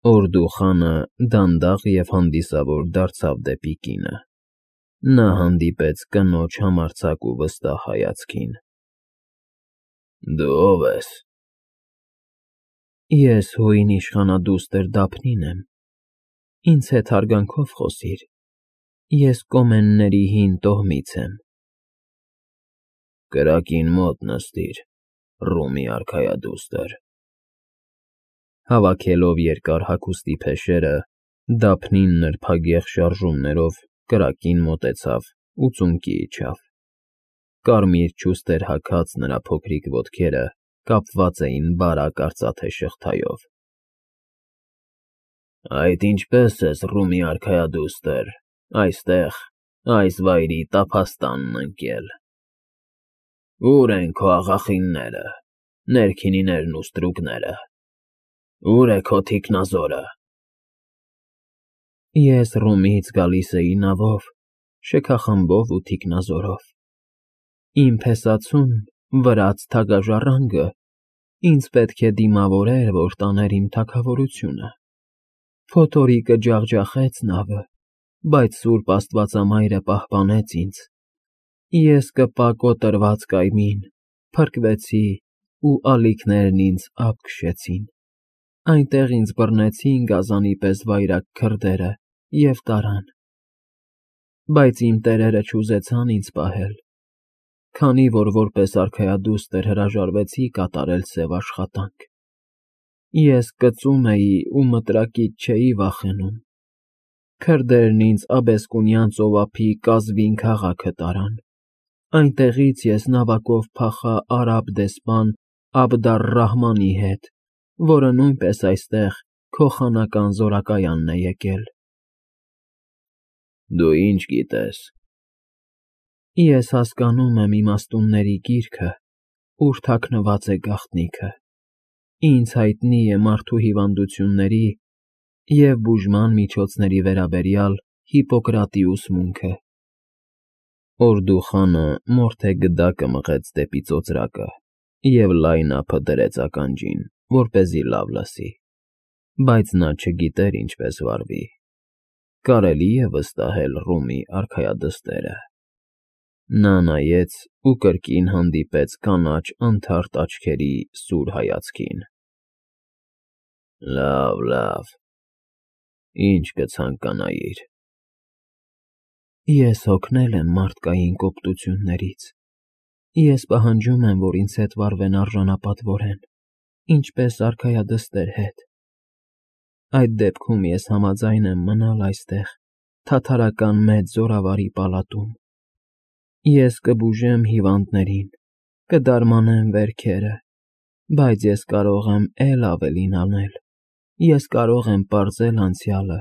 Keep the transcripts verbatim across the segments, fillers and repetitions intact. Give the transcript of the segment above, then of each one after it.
Օրդուխանը դանդաղ և հանդիսավոր դարձավ դեպի կինը. նա հանդիպեց կնոջ համարձակ ու վստահ հայացքին։ ֊ Դու ո՞վ ես։ ֊ Ես հույն իշխանադուստր Դափնին եմ, ինձ հետ հարգանքով խոսիր, ես Կոմենների հին տոհմից եմ։ ֊ Կրակին մոտ նստիր, Ռումի արքայադուստր։ Հավաքելով երկար հագուստի փեշերը, Դափնին նրբագեղ շարժումներով կրակին մոտեցավ ու ծունկի իջավ։ Կարմիր չուստեր հագած նրա փոքրիկ ոտքերը կապված էին բարակ արծաթե շղթայով։ ֊ Այդ ինչպե՞ս ես, Ռումի արքայադուստր, այստեղ, այս վայրի տափաստանն ընկել։ Ո՞ւր են քո աղախինները, ներքինիներն ու ստրուկները, ո՞ւր է քո թիկնազորը։ ֊ Ես Ռումից գալիս էի նավով, շքախմբով ու թիկնազորով։ Իմ փեսացուն, վրաց թագաժառանգը, ինձ պետք է դիմավորեր, որ տաներ իմ թագավորությունը։ Փոթորիկը ջախջախեց նավը, բայց սուրբ Աստվածամայրը պահպանեց ինձ։ Ես կպա կոտրված կայմին, փրկվեցի, ու ալիքներն ինձ ափ քշեցին, այնտեղ ինձ բռնեցին գազանի պես վայրագ քրդերը և տարան։ Բայց իմ տերերը չուզեցան ինձ պահել, քանի որ որպես արքայադուստր հրաժարվեցի կատարել սև աշխատանք։ Ես կծում էի ու մտրակից չէի վախենում։ Քրդերն ինձ Աբեսկունյան ծովափի Կազվին քաղաքը տարան, այնտեղից ես նավակով փախա արաբ դեսպան Աբդ֊առ֊Ռահմանի հետ, որը նույնպես այստեղ քո խանական զորակայանն է եկել։ ֊ Դու ի՞նչ գիտես։ ֊ Ես հասկանում եմ իմաստունների գիրքը, ուր թաքնված է գաղտնիքը, ինձ հայտնի է մարդու հիվանդությունների և բուժման միջոցների վերաբերյալ Հիպոկրատի ուսմունքը։ Օրդուխանը մորթե գդակը մղեց դեպի ծոծրակը և լայն ափը դրեց ականջին, որպեսզի լավ լսի, բայց նա չգիտեր ինչպես վարվի։ Կարելի՞ է վստահել Ռումի արքայադստերը։ Նա նայեց ու կրկին հանդիպեց կանաչ անթարթ աչքերի սուր հայացքին։ ֊ Լավ, լավ, ի՞նչ կցանկանայիր։ ֊ Ես հոգնել եմ մարդկային կոպտություններից։ Ես պահանջում եմ, որ ինձ հետ վարվեն արժանապատվորեն, ինչպես արքայադստեր հետ։ Այդ դեպքում ես համաձայն եմ մնալ այստեղ, թաթարական մեծ զորավարի պալատում։ Ես կբուժեմ հիվանդներին, կդարմանեմ վերքերը, բայց ես կարող եմ էլ ավելին անել, ես կարող եմ պարզել անցյալը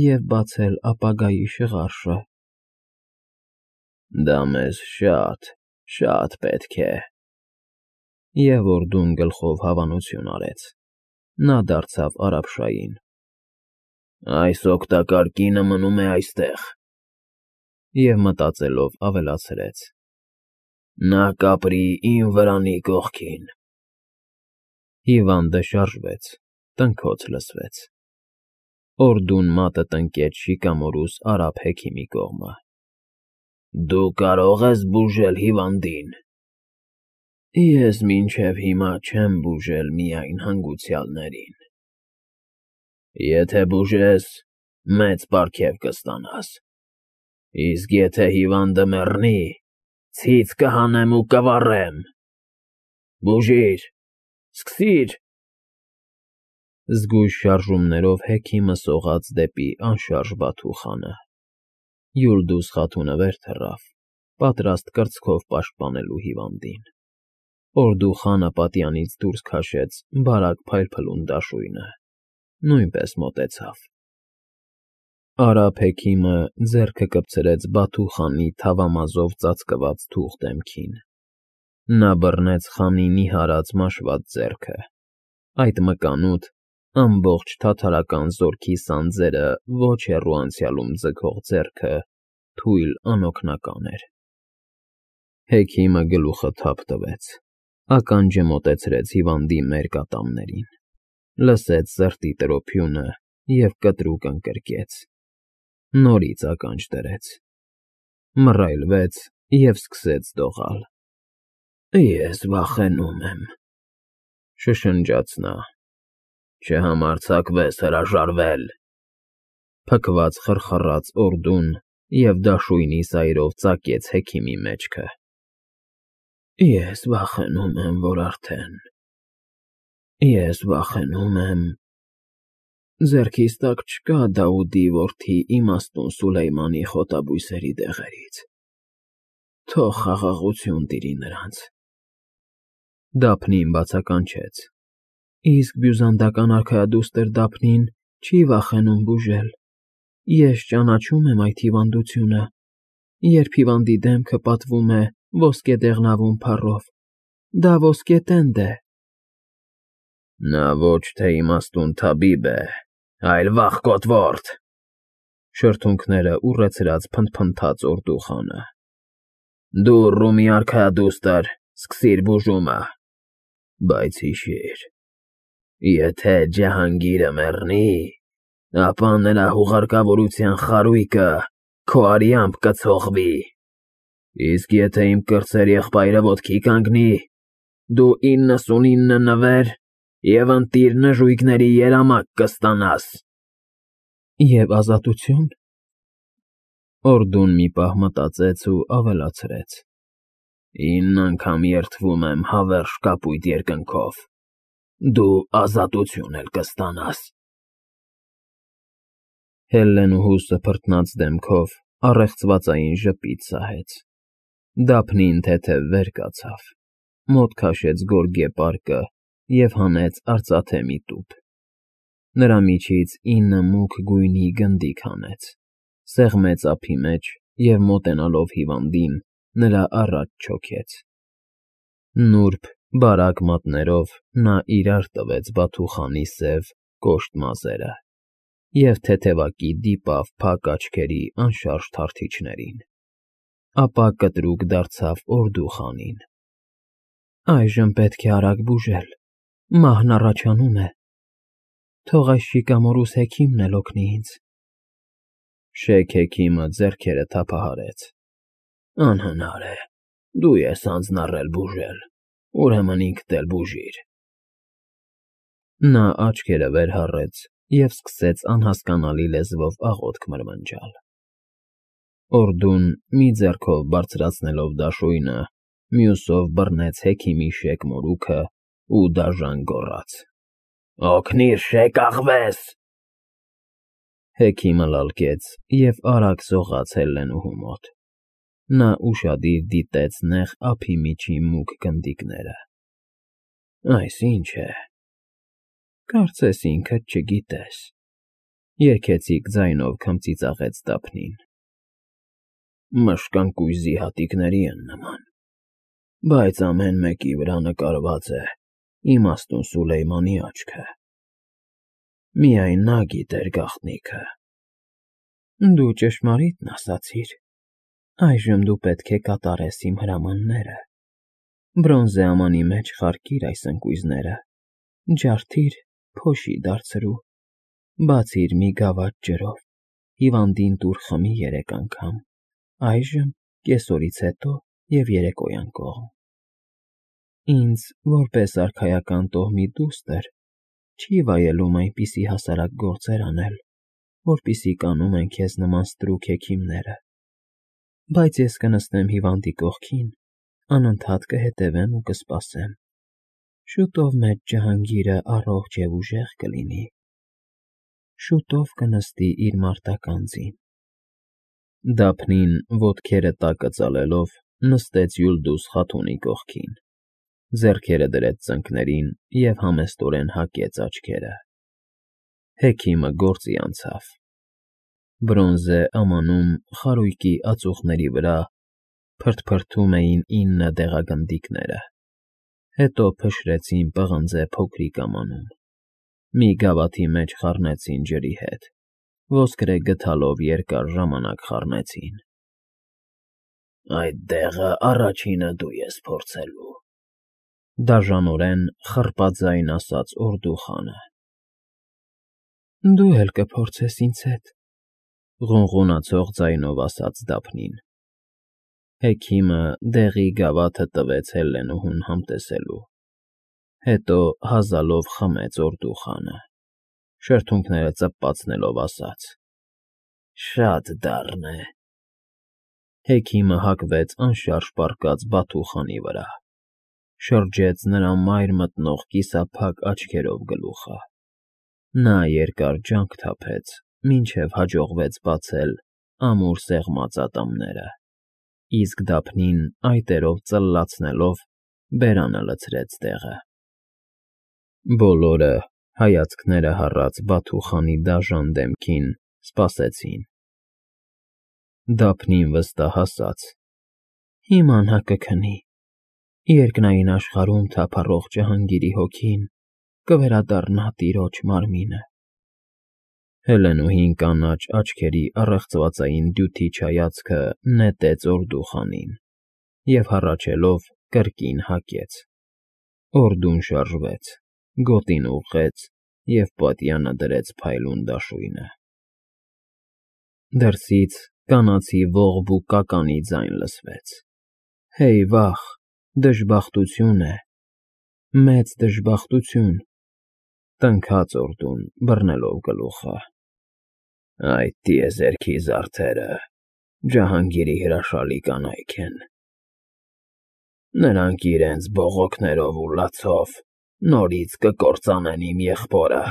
և բացել ապագայի շղարշը։ ֊ Դա մեզ շատ, շատ պետք է։ Եվ օրդուն գլխով հավանություն արեց։ Նա դարձավ արաբշային։ ֊ Այս օգտակար կինը մնում է այստեղ։ Եվ մտածելով ավելացրեց. նա կապրի իմ վրանի կողքին։ Հիվանդը շարժվեց, տնքոց լսվեց։ Օրդուն մատը տնկեց շիկամորուս արաբ հեքիմի կողմը։ ֊ Դու կարո՞ղ ես բուժել հիվանդին։ ֊ Ես մինչև հիմա չեմ բուժել միայն հանգուցյալներին։ ֊ Եթե բուժես, մեծ պարգև կստանաս, իսկ եթե հիվանդը մեռնի, ցից կհանեմ ու կվառեմ։ Բուժիր, սկսիր… Զգույշ շարժումներով հեքիմը սողաց դեպի անշարժ Բաթուխանը։ Յուլդուս Խաթունը վեր թռավ, պատրաստ կրծքով պաշտպանելու հիվանդին։ Օրդուխանը պատյանից դուրս քաշեց բարակ փայլփլուն դաշույնը, նույնպես մոտեցավ։ Արաբ հեքիմը ձեռքը կպցրեց Բաթուխանի թավամազով ծածկված թուղ դեմքին։ Նա բռնեց խանի նիհարած մաշված ձեռքը։ Այդ մկանուտ, ամբողջ թաթարական զորքի սանձերը ոչ հեռու անցյալում ձգող ձեռքը թույլ անօգնական էր։ Հեքիմը գլուխը թափ տվեց, ականջը մոտեցրեց հիվանդի մերկ ատամներին, լսեց սրտի տրոփյունը և կտրուկ ընկրկեց, նորից ականջ դրեց, մռայլվեց և սկսեց դողալ։ «Ես վախենում եմ», շշնջաց նա, «չհամարձակվես հրաժարվել»։ Փքված խռխռաց օրդուն և դաշույնի սայրով ծակեց հեքիմի մեջքը։ «Ես վախենում եմ, որ արդեն… Ես վախենում եմ… Ձեռքիս տակ չկա Դաուդի որդի իմաստուն Սուլեյմանի խոտաբույսերի դեղերից… Թող խաղաղություն տիրի նրանց»։ Դափնին բացականչեց. «Իսկ բյուզանդական արքայադուստր Դափնին չի վախենում բուժել… Ես ճանաչում եմ այդ հիվանդությունը, երբ հիվանդի դեմքը պատվում է ոսկեդեղնավուն փառով… Դա ոսկետենդ է»։ «Նա ոչ թե իմաստուն թաբիբ է, այլ վախկոտ որդ», շրթունքները ուռեցրած փնթփնթաց օրդուխանը։ «Դուռ, Ռումի արքայադուստր, սկսիր բուժումը… Բայց հիշիր, եթե Ջահանգիրը մեռնի, ապա նրա հուղարկավորության խարույկը քո արյամբ կցողվի, իսկ եթե իմ կրտսեր եղբայրը ոտքի կանգնի, դու իննսունինը նվեր և ընտիր նժույգների երամակ կստանաս»։ «Եվ ազատությո՞ւն»։ Օրդուն մի պահ մտածեց ու ավելացրեց. «Ինն անգամ երդվում եմ հավերժ կապույտ երկնքով, դու ազատություն էլ կստանաս»։ Հելլենուհու սփռտնած դեմքով առեղծվածային ժպիտ սահեց։ Դափնին թեթև վեր կացավ, մոտ քաշեց գորգե պարկը և հանեց արծաթե մի տուփ։ Նրա միջից ինը մուգ գույնի գնդիք հանեց, սեղմեց ափի մեջ և մոտենալով հիվանդին, նրա առաջ չոքեց։ Նուրբ, բարակ մատներով նա իրար տվեց բաթուխանի սև, կոշտ մազերը և թեթևակի դիպավ փակ աչքերի անշարժ թարթիչներին, ապա կտրուկ դարձավ օրդուխանին։ «Այժմ պետք է արագ բուժել, մահն առաջանում է… Թող այս շիկամորուս հեքիմն էլ օգնի ինձ»։ Շեք հեքիմը ձեռքերը թափահարեց. «Անհնար է, դու ես հանձնառել բուժել, ուրեմն ինքդ էլ բուժիր»։ Նա աչքերը վեր հառեց և սկսեց անհասկանալի լեզվով աղոթք մրմնջալ։ Օրդուն, մի ձեռքով բարձրացնելով դաշույնը, մյուսով բռնեց հեքիմի շեկ մորուքը ու դաժան գոռաց. «Օգնիր, շեկ աղվես»։ Հեքիմը լալկեց և արագ սողաց Հելլենուհու մոտ։ Նա ուշադիր դիտեց նեղ ափի միջի մուգ գնդիկները։ «Այս ի՞նչ է»։ «Կարծես ինքդ չգիտես», երգեցիկ ձայնով քմծիծաղեց Դափնին։ «Մշկան կույզի հատիկների են նման, բայց ամեն մեկի վրա նկարված է իմաստուն Սուլեյմանի աչքը… Միայն նա գիտեր գաղտնիքը»։ «Դու ճշմարիտն ասացիր, այժմ դու պետք է կատարես իմ հրամանները… Բրոնզե ամանի մեջ խարկիր այս ընկույզները, ջարդիր, փոշի դարձրու, բացիր մի գավաթ ջրով, հիվանդին տուր խմի երեք անգամ, այժմ, կեսօրից հետո և երեկոյան կողմ… Ինձ, որպես արքայական տոհմի դուստր, չի վայելում այնպիսի հասարակ գործեր անել, որպիսի կանում են քեզ նման ստրուկ հեքիմները… Բայց ես կնստեմ հիվանդի կողքին, անընդհատ կհետևեմ ու կսպասեմ… Շուտով մեծ Ջահանգիրը առողջ և ուժեղ կլինի… Շուտով կնստի իր մարտական ձին»։ Դափնին, ոտքերը տակը ծալելով, նստեց Յուլդուզ խաթունի կողքին, ձեռքերը դրեց ծնկներին և համեստորեն հակեց աչքերը։ Հեքիմը գործի անցավ։ Բրոնզե ամանում խարույկի ածուխների վրա փրթփրթում էին ինը դեղագնդիկները, հետո փշրեցին պղնձե փոքրիկ ամանում, մի գավաթի մեջ խառնեցին ջրի հետ, ոսկրե գդալով երկար ժամանակ խառնեցին։ «Այդ դեղը առաջինը դու ես փորձելու», դաժանորեն խռպաձայն ասաց օրդուխանը։ Դու էլ կփորձես ինձ հետ,֊ ղունղունացող ձայնով ասաց Դափնին։ Հեքիմը դեղի գավաթը տվեց Հելլենուհուն համտեսելու, հետո հազալով խմեց օրդուխանը, շրթունքները ծպացնելով ասաց. «Շատ դառն է»։ Հեքիմը հագվեց անշարժ պառկած Բաթուխանի վրա, շրջեց նրա մայր մտնող կիսափակ աչքերով գլուխը։ Նա երկար ջանք թափեց, մինչև հաջողվեց բացել ամուր սեղմած ատամները, իսկ Դափնին այտերով ծլլացնելով բերանը լցրեց տեղը։ Բոլորը, հայացքները հառած Բաթուխանի դաժան դեմքին, սպասեցին։ Դափնին վստահ ասաց. «Հիմա նա կքնի, երկնային աշխարհում թափառող ջհանգիրի հոգին կվերադառնա տիրոջ մարմինը»։ Հելենուհին կանաչ աչքերի առեղծվածային դյութիչ հայացքը նետեց օրդուխանին և, հառաչելով, կրկին հագեց։ Օրդուն շարժվեց, գոտին ուղղեց և պատյանը դրեց փայլուն դաշույնը։ Դրսից կանացի ողբ ու կականի ձայն լսվեց. «Հեյ վա՜խ, դժբախտություն է, մեծ դժբախտություն», տնքաց օրդուն, բռնելով գլուխը։ «Այդ տիեզերքի զարդերը ջահանգիրի հրաշալի կանայք են. նրանք իրենց բողոքներով ու լացով նորից կկործանեն իմ եղբորը»։